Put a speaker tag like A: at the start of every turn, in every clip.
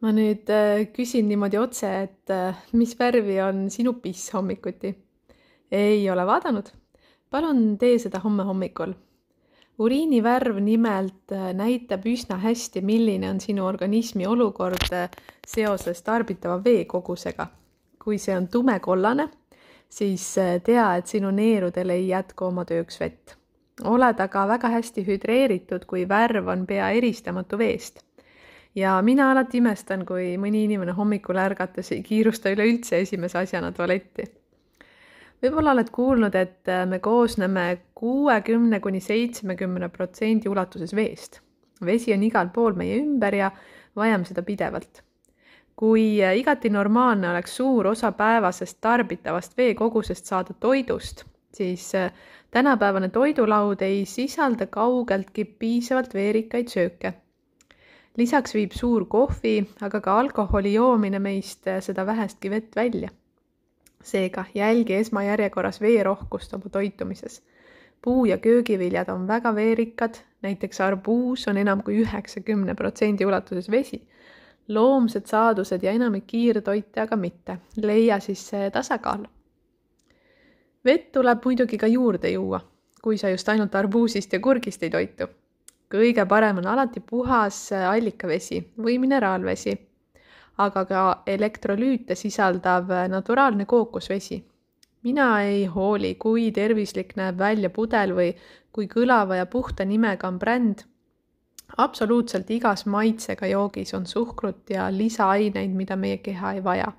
A: Ma nüüd küsin niimoodi otse, et mis värvi on sinu piss hommikuti? Ei ole vaadanud? Palun tee seda homme hommikul. Uriini värv nimelt näitab üsna hästi, milline on sinu organismi olukord seoses tarbitava vee kogusega. Kui see on tumekollane, siis tea, et sinu neerudel ei jätku oma tööks vett. Oled aga väga hästi hüdreeritud, kui värv on pea eristamatu veest. Ja mina alati imestan, kui mõni inimene hommikul ärgates ei kiirusta üleüldse esimese asjana tualetti. Võib-olla oled kuulnud, et me koosneme 60–70% ulatuses veest. Vesi on igal pool meie ümber ja vajame seda pidevalt. Kui igati normaalne oleks suur osa päevasest tarbitavast veekogusest saada toidust, siis tänapäevane toidulaud ei sisalda kaugeltki piisavalt veerikaid sööke. Lisaks viib suur kohvi, aga ka alkoholi joomine meist seda vähestki vett välja. Seega jälgi esmajärjekorras veerohkust oma toitumises. Puu- ja köögiviljad on väga veerikad, näiteks arbuus on enam kui 90% ulatuses vesi. Loomsed saadused ja enamik kiirtoite aga mitte. Leia siis see tasakaal. Vett tuleb muidugi ka juurde juua, kui sa just ainult arbuusist ja kurgist ei toitu. Kõige parem on alati puhas allikavesi või mineraalvesi, aga ka elektrolüüte sisaldav naturaalne kookosvesi. Mina ei hooli, kui tervislik näeb välja pudel või kui kõlava ja puhta nimega on bränd. Absoluutselt igas maitsega joogis on suhkrut ja lisaaineid, mida meie keha ei vaja.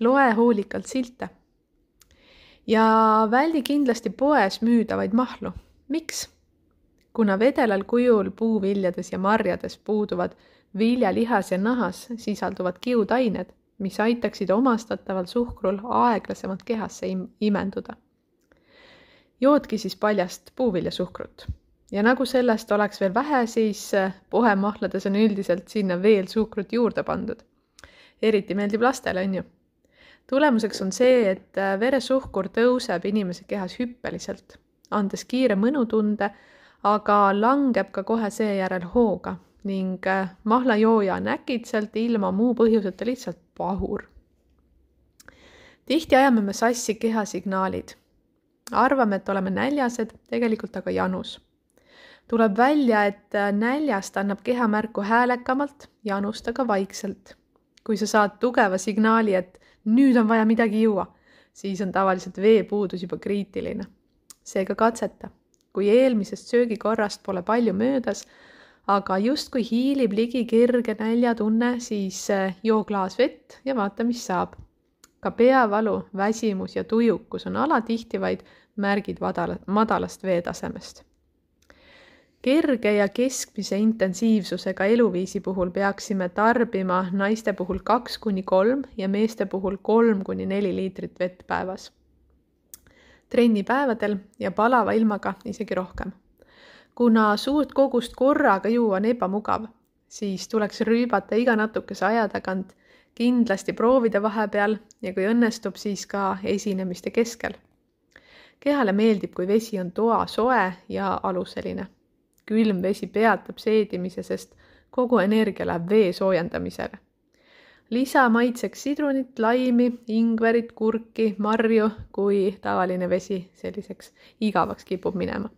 A: Loe hoolikalt silte. Ja väldi kindlasti poes müüdavaid mahlu. Miks? Kuna vedelal kujul puuviljades ja marjades puuduvad viljalihas ja nahas sisalduvad kiudained, mis aitaksid omastataval suhkrul aeglasemalt kehasse imenduda. Joodki siis paljast puuviljasuhkrut. Ja nagu sellest oleks veel vähe, siis pohemahlades on üldiselt sinna veel suhkrut juurde pandud. Eriti meeldib lastele, on ju. Tulemuseks on see, et veresuhkur tõuseb inimese kehas hüppeliselt, andes kiire mõnutunde, aga langeb ka kohe seejärel hooga ning mahlajooja on äkitselt ilma muu põhjuseta lihtsalt pahur. Tihti ajame me sassi kehasignaalid. Arvame, et oleme näljased, tegelikult aga janus. Tuleb välja, et näljast annab keha märku häälekamalt, janust aga vaikselt. Kui sa saad tugeva signaali, et nüüd on vaja midagi juua, siis on tavaliselt veepuudus juba kriitiline. Seega katseta. Kui eelmisest söögikorrast pole palju möödas, aga just kui hiilib ligi kerge näljatunne, siis joo klaas vett ja vaata, mis saab. Ka peavalu, väsimus ja tujukus on alatihti vaid märgid madalast veetasemest. Kerge ja keskmise intensiivsusega eluviisi puhul peaksime tarbima naiste puhul 2–3 ja meeste puhul 3–4 liitrit vett päevas. Trennipäevadel ja palava ilmaga isegi rohkem. Kuna suurt kogust korraga juua on ebamugav, siis tuleks rüübata iga natukese aja tagant, kindlasti proovida vahepeal ja kui õnnestub, siis ka esinemiste keskel. Kehale meeldib, kui vesi on toa soe ja aluseline. Külm vesi peatab seedimise, sest kogu energia läheb vee soojendamisele. Lisa maitseks sidrunit, laimi, ingverit, kurki, marju, kui tavaline vesi selliseks igavaks kipub minema.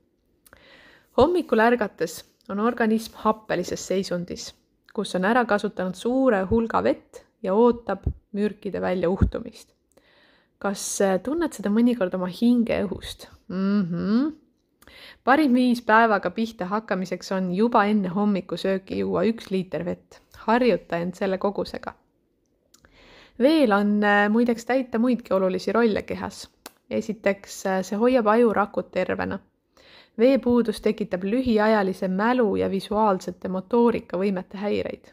A: Hommikul ärgates on organism happelises seisundis, kus on ära kasutanud suure hulga vett ja ootab mürkide välja uhtumist. Kas tunned seda mõnikord oma hingeõhust? Parim viis päevaga pihta hakkamiseks on juba enne hommikusööki juua 1 liiter vett. Harjuta end selle kogusega. Veel on muideks täita muidki olulisi rolle kehas. Esiteks, see hoiab ajurakud tervena. Veepuudus tekitab lühiajalise mälu ja visuaalsete motoorikavõimete häireid.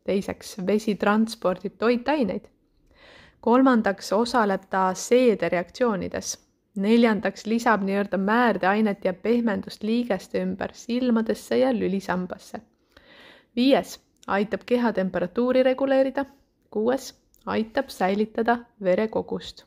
A: Teiseks, vesi transpordib toitaineid. Kolmandaks, osaleb ta seedereaktsioonides. Neljandaks, lisab nii-öelda määrdeainet ja pehmendust liigeste ümber silmadesse ja lülisambasse. 5, aitab keha temperatuuri reguleerida. 6, aitab säilitada verekogust.